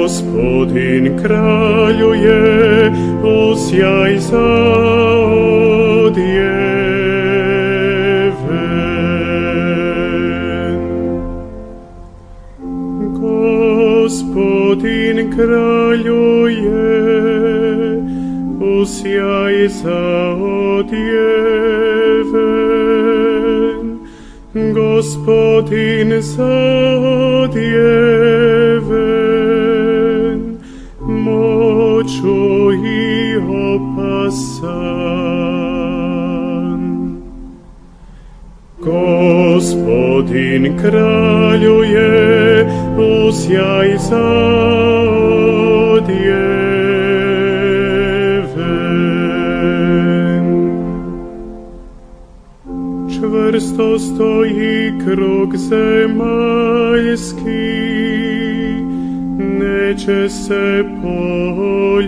Gospodin kraljuje, osjaj zaodjeven. Gospodin kraljuje, osjaj zaodjeven. Gospodin zaodjeven, moću i opasan. Gospodin kraljuje, osjaj zaodjeven. Čvrsto stoji krug zemaljski, neće se poljuljati.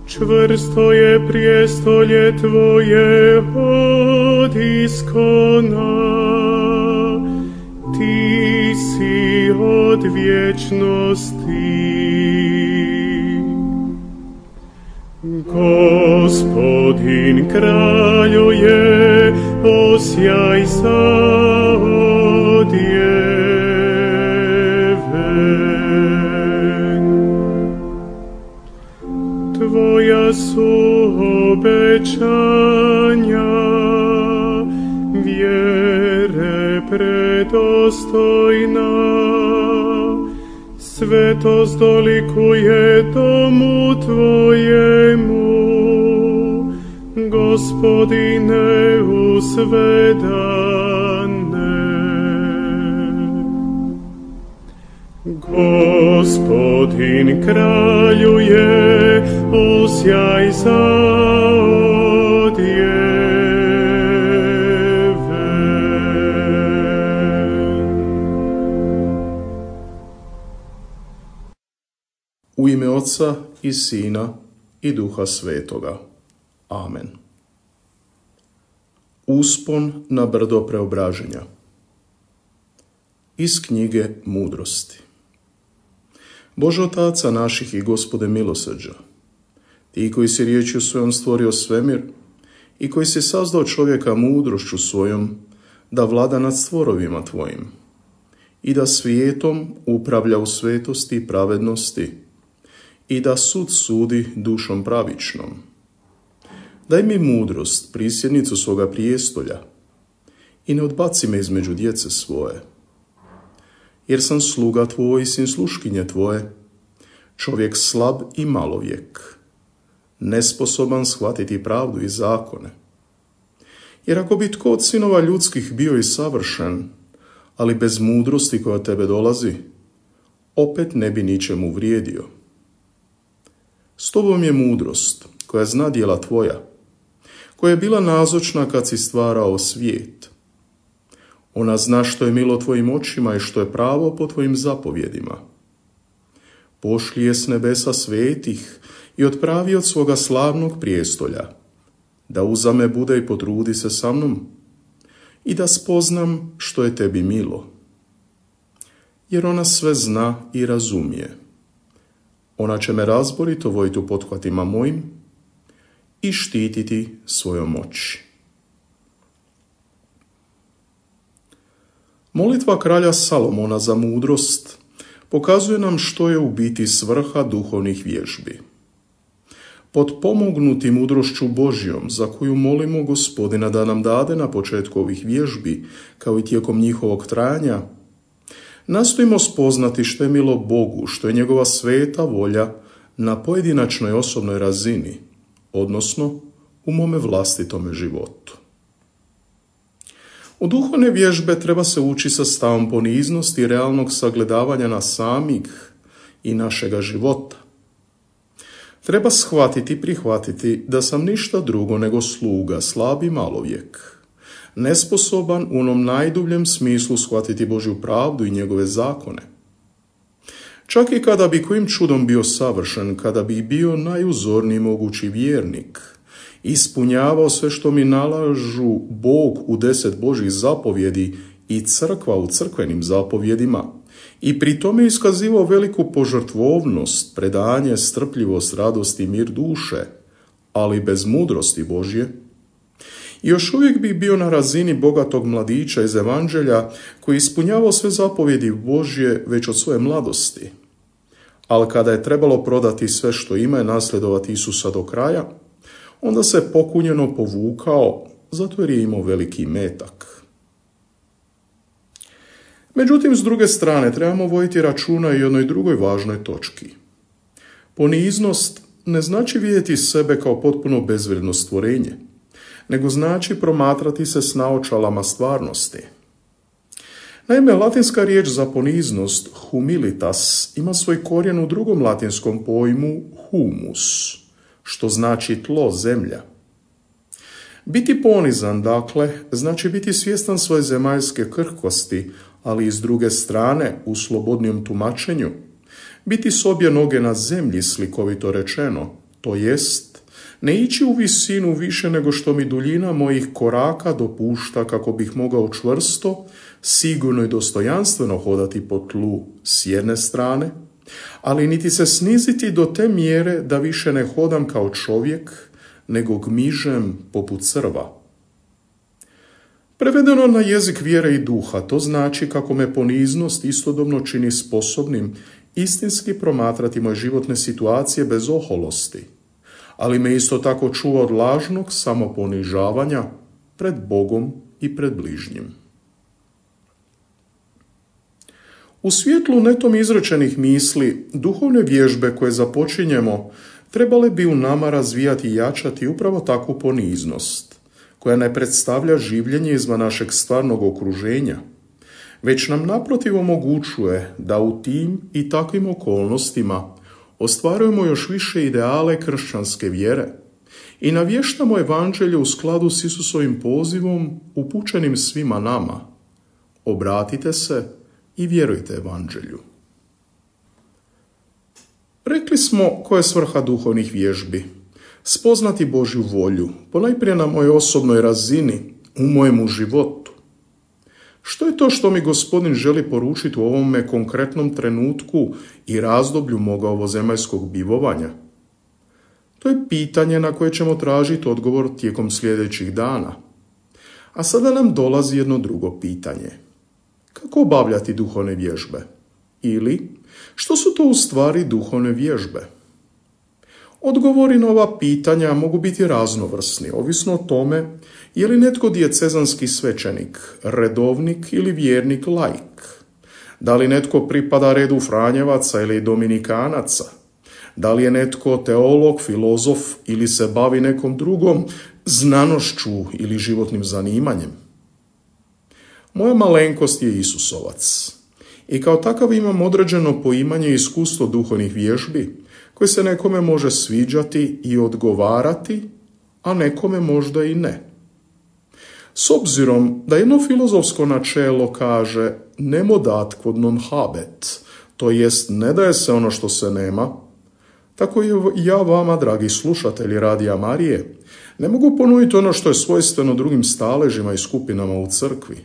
Čvrsto je prijestolje tvoje od iskona, ti si od vječnosti. Gospodin kraljuje, osjaj zaodjeven. Tvoja su obećanja, vjere predostojna, svetost dolikuje domu tvojemu, Gospodine u sve dane. Gospodin kraljuje, osjaj zaodjeven. U ime Otca i Sina i Duha Svetoga. Amen. Uspon na brdo preobraženja. Iz knjige Mudrosti. Bože Otaca naših i Gospode milosrđa, ti koji si riječju svojom stvorio svemir i koji si sazdao čovjeka mudrošću svojom da vlada nad stvorovima tvojim i da svijetom upravlja u svetosti i pravednosti i da sud sudi dušom pravičnom. Daj mi mudrost, prisjednicu svoga prijestolja, i ne odbaci me između djece svoje. Jer sam sluga tvoj i sin sluškinje tvoje, čovjek slab i malovjek, nesposoban shvatiti pravdu i zakone. Jer ako bi tko od sinova ljudskih bio i savršen, ali bez mudrosti koja tebe dolazi, opet ne bi ničemu vrijedio. S tobom je mudrost koja zna djela tvoja, koja je bila nazočna kad si stvarao svijet. Ona zna što je milo tvojim očima i što je pravo po tvojim zapovjedima. Pošli je s nebesa svetih i otpravi od svoga slavnog prijestolja, da uzame bude i potrudi se sa mnom i da spoznam što je tebi milo. Jer ona sve zna i razumije. Ona će me razborito vojiti u pothvatima mojim i štititi svojom moći. Molitva kralja Salomona za mudrost pokazuje nam što je u biti svrha duhovnih vježbi. Potpomognuti mudrošću Božjom, za koju molimo Gospodina da nam dade na početku ovih vježbi, kao i tijekom njihovog trajanja, nastojimo spoznati što je milo Bogu, što je njegova sveta volja na pojedinačnoj osobnoj razini, odnosno u mome vlastitome životu. U duhovne vježbe treba se ući sa stavom poniznosti i realnog sagledavanja nas samih i našega života. Treba shvatiti i prihvatiti da sam ništa drugo nego sluga, slab i malovjek, nesposoban u onom najdubljem smislu shvatiti Božju pravdu i njegove zakone. Čak i kada bi kojim čudom bio savršen, kada bi bio najuzorniji mogući vjernik, ispunjavao sve što mi nalažu Bog u 10 Božjih zapovjedi i crkva u crkvenim zapovjedima i pri tome iskazivao veliku požrtvovnost, predanje, strpljivost, radost i mir duše, ali bez mudrosti Božje, još uvijek bi bio na razini bogatog mladića iz Evanđelja koji ispunjavao sve zapovjedi Božje već od svoje mladosti. Ali kada je trebalo prodati sve što ima i nasljedovati Isusa do kraja, onda se pokunjeno povukao, zato jer je imao veliki metak. Međutim, s druge strane, trebamo voditi računa i o jednoj drugoj važnoj točki. Poniznost ne znači vidjeti sebe kao potpuno bezvrijedno stvorenje, nego znači promatrati se s naočalama stvarnosti. Naime, latinska riječ za poniznost, humilitas, ima svoj korijen u drugom latinskom pojmu humus, što znači tlo, zemlja. Biti ponizan, dakle, znači biti svjestan svoje zemaljske krhkosti, ali i s druge strane, u slobodnijem tumačenju, biti s obje noge na zemlji, slikovito rečeno, to jest, ne ići u visinu više nego što mi duljina mojih koraka dopušta kako bih mogao čvrsto, sigurno i dostojanstveno hodati po tlu s jedne strane, ali niti se sniziti do te mjere da više ne hodam kao čovjek, nego gmižem poput crva. Prevedeno na jezik vjere i duha, to znači kako me poniznost istodobno čini sposobnim istinski promatrati moje životne situacije bez oholosti, ali me isto tako čuva od lažnog samoponižavanja pred Bogom i pred bližnjim. U svjetlu netom izrečenih misli, duhovne vježbe koje započinjemo trebale bi u nama razvijati i jačati upravo takvu poniznost, koja ne predstavlja življenje izvan našeg stvarnog okruženja, već nam naprotiv omogućuje da u tim i takvim okolnostima ostvarujemo još više ideale kršćanske vjere i navještamo evanđelje u skladu s Isusovim pozivom upućenim svima nama. Obratite se i vjerujte evanđelju. Rekli smo koja je svrha duhovnih vježbi. Spoznati Božju volju, ponajprije na mojoj osobnoj razini, u mojemu životu. Što je to što mi Gospodin želi poručiti u ovome konkretnom trenutku i razdoblju moga ovozemaljskog bivovanja? To je pitanje na koje ćemo tražiti odgovor tijekom sljedećih dana. A sada nam dolazi jedno drugo pitanje. Kako obavljati duhovne vježbe? Ili, što su to u stvari duhovne vježbe? Odgovori na ova pitanja mogu biti raznovrsni, ovisno o tome je li netko dijecezanski svećenik, redovnik ili vjernik laik, da li netko pripada redu Franjevaca ili Dominikanaca, da li je netko teolog, filozof ili se bavi nekom drugom znanošću ili životnim zanimanjem. Moja malenkost je Isusovac i kao takav imam određeno poimanje i iskustvo duhovnih vježbi koje se nekome može sviđati i odgovarati, a nekome možda i ne. S obzirom da jedno filozofsko načelo kaže nemo dat quod non habet, to jest ne daje se ono što se nema, tako i ja vama, dragi slušatelji Radija Marije, ne mogu ponuditi ono što je svojstveno drugim staležima i skupinama u crkvi,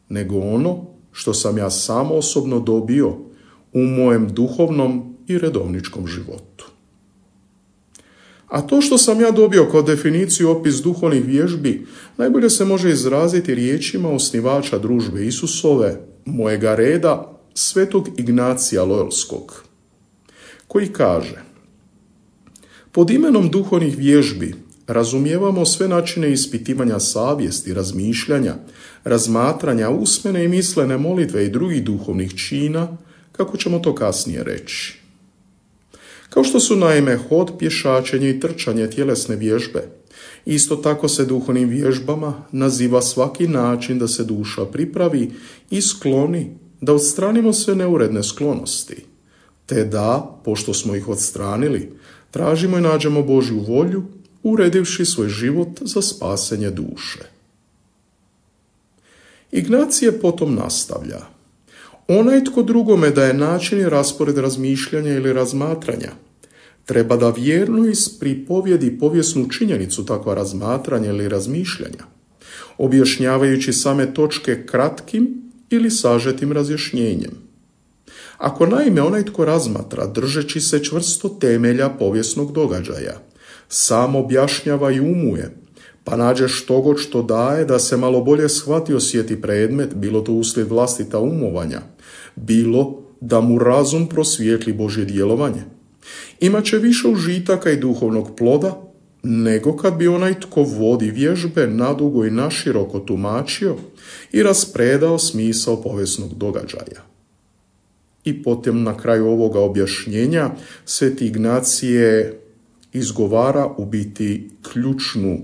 nego ono što sam ja sam osobno dobio u mojem duhovnom i redovničkom životu. A to što sam ja dobio kao definiciju opis duhovnih vježbi najbolje se može izraziti riječima osnivača družbe Isusove, mojega reda, svetog Ignacija Loyolskog, koji kaže: pod imenom duhovnih vježbi razumijevamo sve načine ispitivanja savjesti, razmišljanja, razmatranja, usmene i mislene molitve i drugih duhovnih čina, kako ćemo to kasnije reći. Kao što su naime hod, pješačenje i trčanje tjelesne vježbe, isto tako se duhovnim vježbama naziva svaki način da se duša pripravi i skloni, da odstranimo sve neuredne sklonosti, te da, pošto smo ih odstranili, tražimo i nađemo Božju volju, uredivši svoj život za spasenje duše. Ignacije potom nastavlja: onaj tko drugome daje način i raspored razmišljanja ili razmatranja, treba da vjerno ispripovjedi povijesnu činjenicu takva razmatranja ili razmišljanja, objašnjavajući same točke kratkim ili sažetim razjašnjenjem. Ako naime onaj tko razmatra, držeći se čvrsto temelja povijesnog događaja, sam objašnjava i umuje, pa nađe štogod što daje da se malo bolje shvati osjeti predmet, bilo to uslijed vlastita umovanja, bilo da mu razum prosvijetli Božje djelovanje, imaće više užitaka i duhovnog ploda, nego kad bi onaj tko vodi vježbe nadugo i naširoko tumačio i raspredao smisao povijesnog događaja. I potom na kraju ovoga objašnjenja Sveti Ignacije izgovara u biti ključnu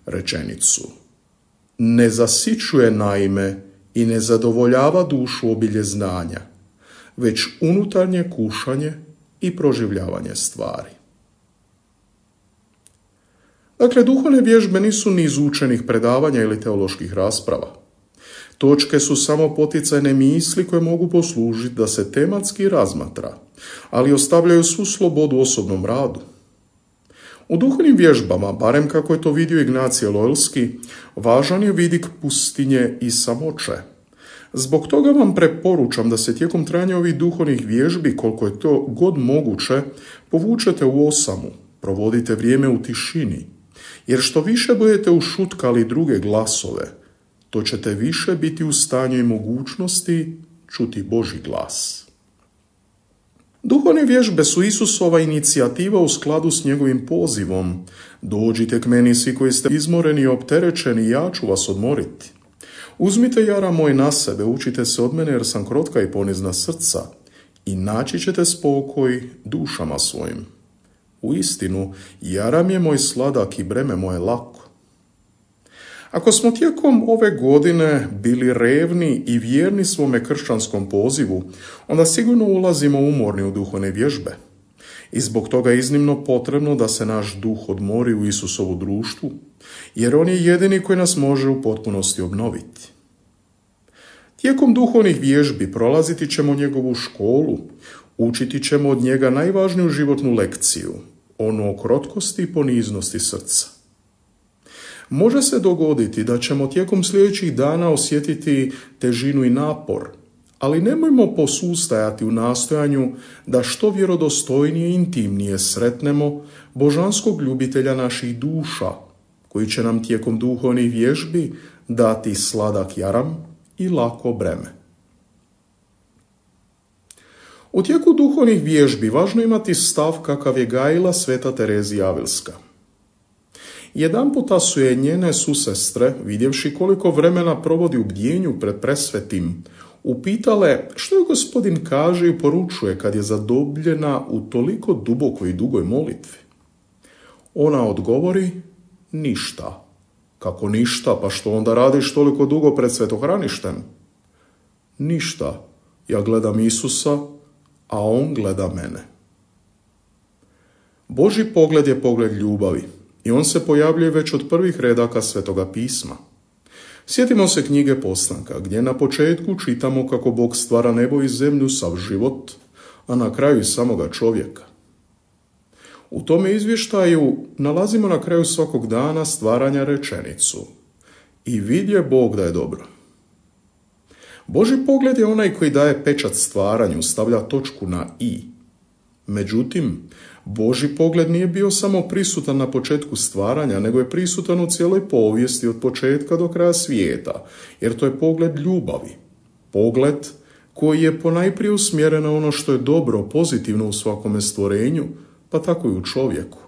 rečenicu. Ne zasićuje naime i ne zadovoljava dušu obilje znanja, već unutarnje kušanje i proživljavanje stvari. Dakle, duhovne vježbe nisu niz učenih predavanja ili teoloških rasprava. Točke su samo poticajne misli koje mogu poslužiti da se tematski razmatra, ali ostavljaju svu slobodu osobnom radu. U duhovnim vježbama, barem kako je to vidio Ignacije Loyolski, važan je vidik pustinje i samoće. Zbog toga vam preporučam da se tijekom trajanja ovih duhovnih vježbi, koliko je to god moguće, povučete u osamu, provodite vrijeme u tišini, jer što više budete ušutkali druge glasove, to ćete više biti u stanju i mogućnosti čuti Božji glas. Duhovne vježbe su Isusova inicijativa u skladu s njegovim pozivom. Dođite k meni svi koji ste izmoreni i opterećeni, ja ću vas odmoriti. Uzmite jara moj na sebe, učite se od mene jer sam krotka i ponizna srca i naći ćete spokoj dušama svojim. Uistinu, jaram je moj sladak i breme moje lako. Ako smo tijekom ove godine bili revni i vjerni svome kršćanskom pozivu, onda sigurno ulazimo umorni u duhovne vježbe. I zbog toga je iznimno potrebno da se naš duh odmori u Isusovu društvu, jer on je jedini koji nas može u potpunosti obnoviti. Tijekom duhovnih vježbi prolaziti ćemo njegovu školu, učiti ćemo od njega najvažniju životnu lekciju, onu o krotkosti i poniznosti srca. Može se dogoditi da ćemo tijekom sljedećih dana osjetiti težinu i napor, ali nemojmo posustajati u nastojanju da što vjerodostojnije i intimnije sretnemo božanskog ljubitelja naših duša, koji će nam tijekom duhovnih vježbi dati sladak jaram i lako breme. U tijeku duhovnih vježbi važno imati stav kakav je gajila sveta Terezija Avilska. Jedanputa su je njene susestre, vidjevši koliko vremena provodi u bdjenju pred presvetim, upitale što je Gospodin kaže i poručuje kad je zadobljena u toliko dubokoj i dugoj molitvi. Ona odgovori, ništa. Kako ništa, pa što onda radiš toliko dugo pred svetohraništem? Ništa, ja gledam Isusa, a on gleda mene. Božji pogled je pogled ljubavi i on se pojavljuje već od prvih redaka Svetoga pisma. Sjetimo se knjige Postanka, gdje na početku čitamo kako Bog stvara nebo i zemlju, sav život, a na kraju i samoga čovjeka. U tome izvještaju nalazimo na kraju svakog dana stvaranja rečenicu: i vidje Bog da je dobro. Božji pogled je onaj koji daje pečat stvaranju, stavlja točku na i. Međutim, Božji pogled nije bio samo prisutan na početku stvaranja, nego je prisutan u cijeloj povijesti od početka do kraja svijeta, jer to je pogled ljubavi. Pogled koji je ponajprije usmjeren na ono što je dobro, pozitivno u svakome stvorenju, pa tako i u čovjeku.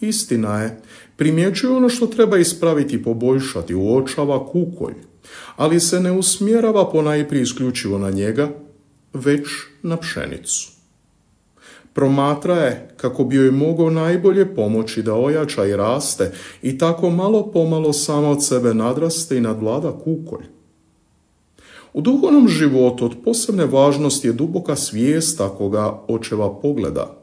Istina je, primjećuje ono što treba ispraviti i poboljšati, uočava kukolj, ali se ne usmjerava ponajprije isključivo na njega, već na pšenicu. Promatra je kako bi joj mogao najbolje pomoći da ojača i raste i tako malo pomalo sama od sebe nadraste i nadvlada kukolj. U duhovnom životu od posebne važnosti je duboka svijest takoga očeva pogleda,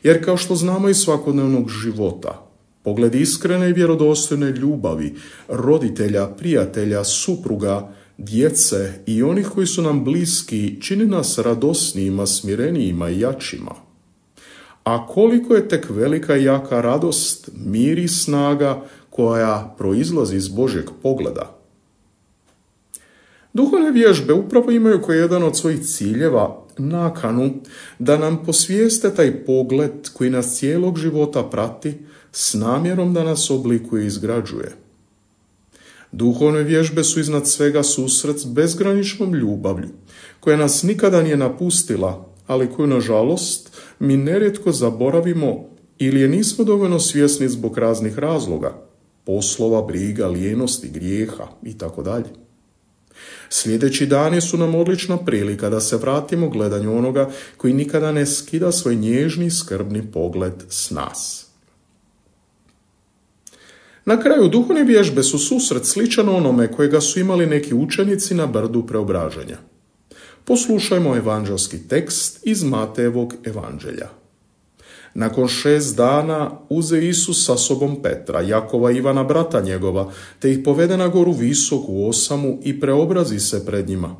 jer kao što znamo iz svakodnevnog života, pogled iskrene i vjerodostojne ljubavi, roditelja, prijatelja, supruga, djece i onih koji su nam bliski čini nas radosnijima, smirenijima i jačima. A koliko je tek velika i jaka radost, mir i snaga koja proizlazi iz Božjeg pogleda. Duhovne vježbe upravo imaju kao jedan od svojih ciljeva nakanu da nam posvijeste taj pogled koji nas cijelog života prati s namjerom da nas oblikuje i izgrađuje. Duhovne vježbe su iznad svega susret s bezgraničnom ljubavlju, koja nas nikada nije napustila, ali koju, nažalost, mi nerijetko zaboravimo ili je nismo dovoljno svjesni zbog raznih razloga, poslova, briga, lijenosti, grijeha itd. Sljedeći dani su nam odlična prilika da se vratimo gledanju onoga koji nikada ne skida svoj nježni, skrbni pogled s nas. Na kraju, duhovne vježbe su susret sličan onome kojega su imali neki učenici na brdu preobraženja. Poslušajmo evanđelski tekst iz Matejevog evanđelja. Nakon 6 dana uze Isus sa sobom Petra, Jakova i Ivana brata njegova, te ih povede na goru visoku osamu i preobrazi se pred njima.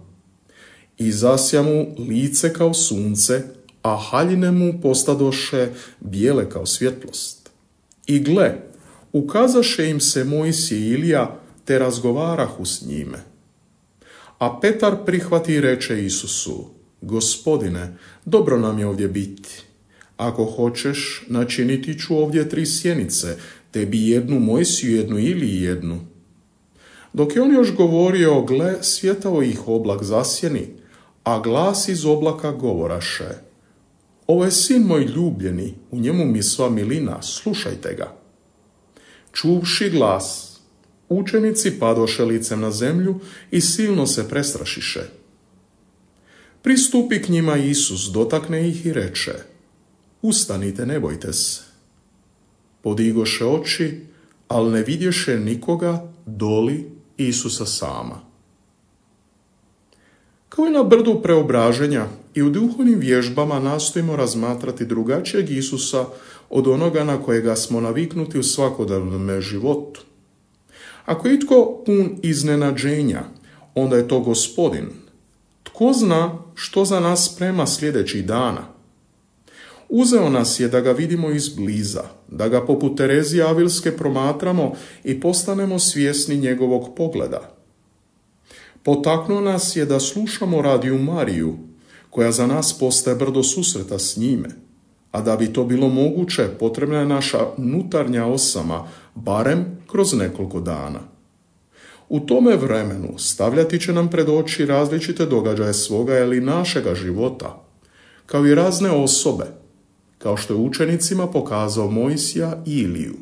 I zasja mu lice kao sunce, a haljine mu postadoše bijele kao svjetlost. I gle, ukazaše im se Mojsije i Ilija, te razgovarahu s njime. A Petar prihvati i reče Isusu: Gospodine, dobro nam je ovdje biti. Ako hoćeš, načiniti ću ovdje 3 sjenice, tebi jednu Mojsiju, jednu Iliji jednu. Dok je on još govorio, gle, svjetao ih oblak zasjeni, a glas iz oblaka govoraše: Ovo je sin moj ljubljeni, u njemu mi sva milina, slušajte ga. Čuvši glas, učenici padoše licem na zemlju i silno se prestrašiše. Pristupi k njima Isus, dotakne ih i reče: Ustanite, ne bojte se. Podigoše oči, ali ne vidješe nikoga doli Isusa sama. Kao i na brdu preobraženja, i u duhovnim vježbama nastojimo razmatrati drugačijeg Isusa od onoga na kojega smo naviknuti u svakodnevnom životu. Ako je itko pun iznenađenja, onda je to Gospodin. Tko zna što za nas sprema sljedećih dana? Uzeo nas je da ga vidimo izbliza, da ga poput Terezije Avilske promatramo i postanemo svjesni njegovog pogleda. Potaknuo nas je da slušamo Radio Mariju, koja za nas postaje brdo susreta s njime, a da bi to bilo moguće, potrebna je naša unutarnja osama, barem kroz nekoliko dana. U tome vremenu stavljati će nam pred oči različite događaje svoga ili našega života, kao i razne osobe, kao što je učenicima pokazao Mojsija i Iliju.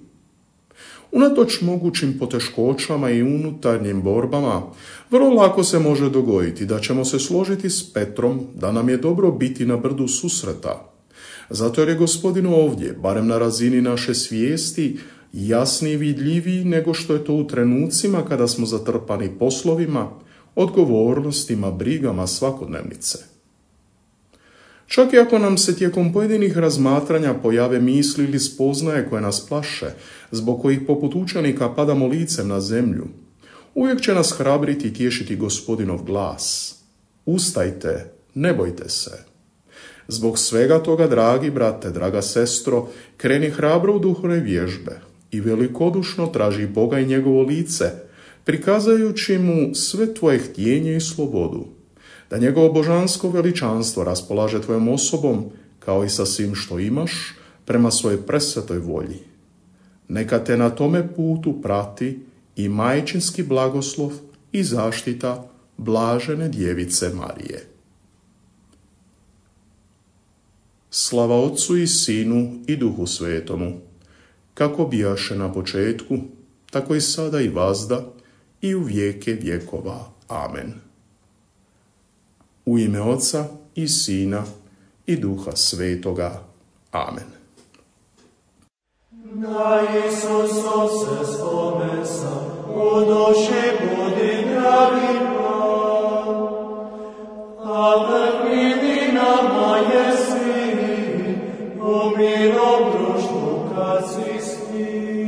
Unatoč mogućim poteškoćama i unutarnjim borbama, vrlo lako se može dogoditi da ćemo se složiti s Petrom da nam je dobro biti na brdu susreta. Zato jer je Gospodin ovdje, barem na razini naše svijesti, jasniji i vidljiviji nego što je to u trenucima kada smo zatrpani poslovima, odgovornostima, brigama svakodnevnice. Čak i ako nam se tijekom pojedinih razmatranja pojave misli ili spoznaje koje nas plaše, zbog kojih poput učenika padamo licem na zemlju, uvijek će nas hrabriti i tješiti Gospodinov glas. Ustajte, ne bojte se. Zbog svega toga, dragi brate, draga sestro, kreni hrabro u duhovne vježbe i velikodušno traži Boga i njegovo lice, prikazajući mu sve tvoje htjenje i slobodu, da njegovo božansko veličanstvo raspolaže tvojom osobom, kao i sa svim što imaš, prema svojoj presvetoj volji. Neka te na tome putu prati i majčinski blagoslov i zaštita blažene djevice Marije. Slava Otcu i Sinu i Duhu Svetomu, kako bijaše na početku, tako i sada i vazda i u vijeke vjekova. Amen. U ime Oca i Sina i Duha Svetoga. Amen. Na Isusa se spomesa, u duši budi dragi Bog, a vrhnina moje svi, u mirom društvu kad si s njim.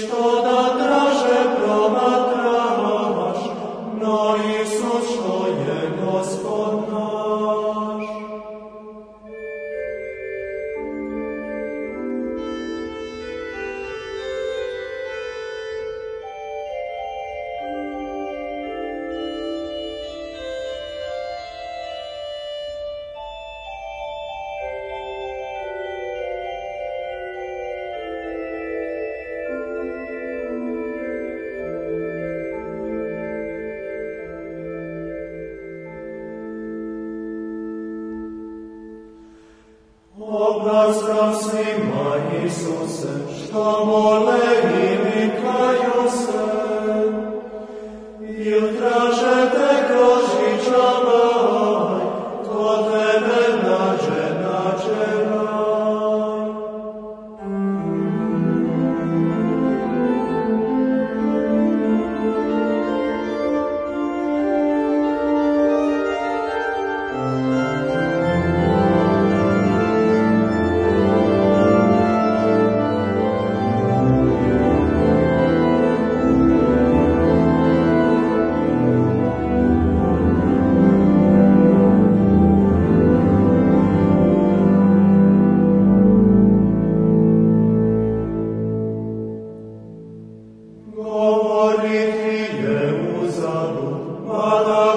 što da draže promatraš, no Isus što je Gospod naš. Opraštam svima, Isuse, što mole i nikaju se, i traže te kroz žičavaj, ko tebe nađe raj. Govoriti je uzalud, mada